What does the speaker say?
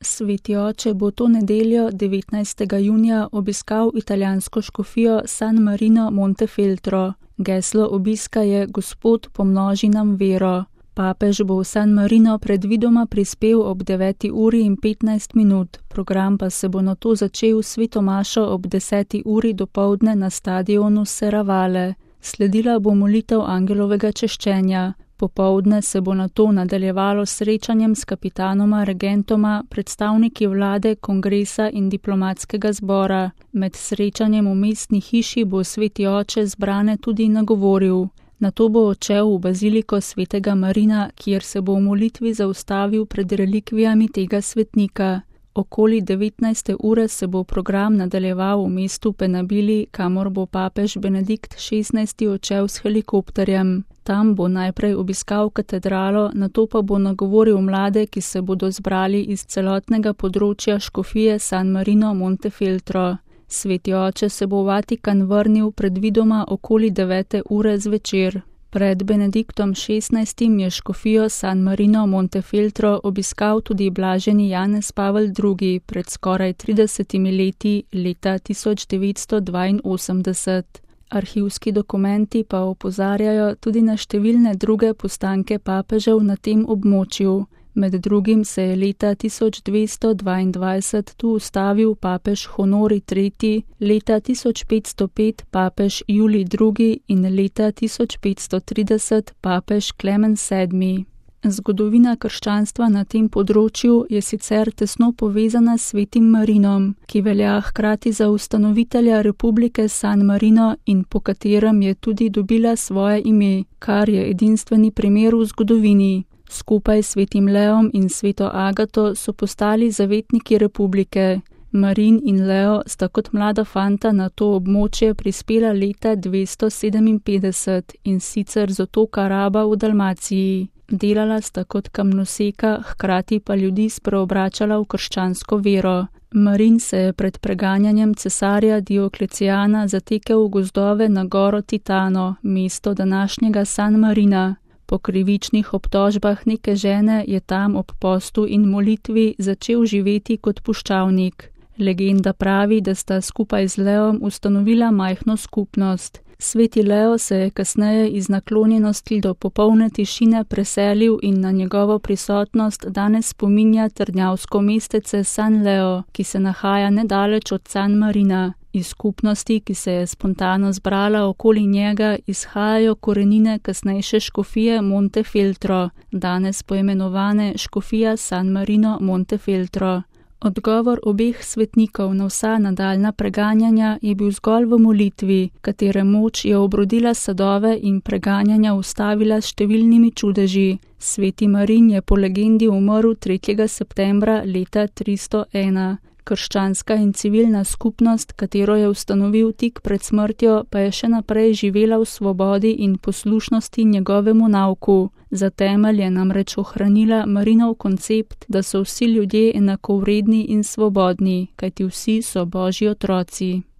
Sveti oče bo to nedeljo 19. junija obiskal italijansko škofijo San Marino Montefeltro. Geslo obiska je Gospod pomnoži nam vero. Papež bo v San Marino predvidoma prispel ob 9:15, program pa se bo nato začel s sveto mašo ob 10. dopoldne na stadionu Serravalle. Sledila bo molitev angelovega češčenja. Popoldne se bo nato nadaljevalo s srečanjem s kapitanoma, regentoma, predstavniki vlade, kongresa in diplomatskega zbora. Med srečanjem v mestni hiši bo sveti oče zbrane tudi nagovoril. Nato bo odšel v baziliko svetega Marina, kjer se bo v molitvi zaustavil pred relikvijami tega svetnika. Okoli 19. ure se bo program nadaljeval v mestu Penabili, kamor bo papež Benedikt XVI odšel s helikopterjem. Tam bo najprej obiskal katedralo, nato pa bo nagovoril mlade, ki se bodo zbrali iz celotnega področja škofije San Marino Montefeltro. Sveti oče se bo v Vatikan vrnil predvidoma okoli 9. ure zvečer. Pred Benediktom XVI je škofijo San Marino Montefeltro obiskal tudi blaženi Janez Pavel II pred skoraj 30 leti, leta 1982. Arhivski dokumenti pa opozarjajo tudi na številne druge postanke papežev na tem območju. Med drugim se je leta 1222 tu ustavil papež Honori III, leta 1505 papež Julij II in leta 1530 papež Klemen VII. Zgodovina krščanstva na tem področju je sicer tesno povezana s svetim Marinom, ki velja hkrati za ustanovitelja republike San Marino in po katerem je tudi dobila svoje ime, kar je edinstveni primer v zgodovini. Skupaj s svetim Leom in sveto Agato so postali zavetniki republike. Marin in Leo sta kot mlada fanta na to območje prispela leta 257 in sicer z otoka Raba v Dalmaciji. Delala sta kot kamnoseka, hkrati pa ljudi spreobračala v krščansko vero. Marin se je pred preganjanjem cesarja Dioklecijana zatekel v gozdove na goro Titano, mesto današnjega San Marina. Po krivičnih obtožbah neke žene je tam ob postu in molitvi začel živeti kot puščavnik. Legenda pravi, da sta skupaj z Leom ustanovila majhno skupnost. Sveti Leo se je kasneje iz naklonjenosti do popolne tišine preselil in na njegovo prisotnost danes spominja trdnjavsko mestece San Leo, ki se nahaja nedaleč od San Marina. Iz skupnosti, ki se je spontano zbrala okoli njega, izhajajo korenine kasnejše škofije Montefeltro, danes poimenovane škofija San Marino Montefeltro. Odgovor obeh svetnikov na vsa nadaljna preganjanja je bil zgolj v molitvi, katere moč je obrodila sadove in preganjanja ustavila s številnimi čudeži. Sveti Marin je po legendi umrl 3. septembra leta 301. Krščanska in civilna skupnost, katero je ustanovil tik pred smrtjo, pa je še naprej živela v svobodi in poslušnosti njegovemu nauku. Za temelj je namreč ohranila Marinov koncept, da so vsi ljudje enakovredni in svobodni, kajti vsi so Božji otroci.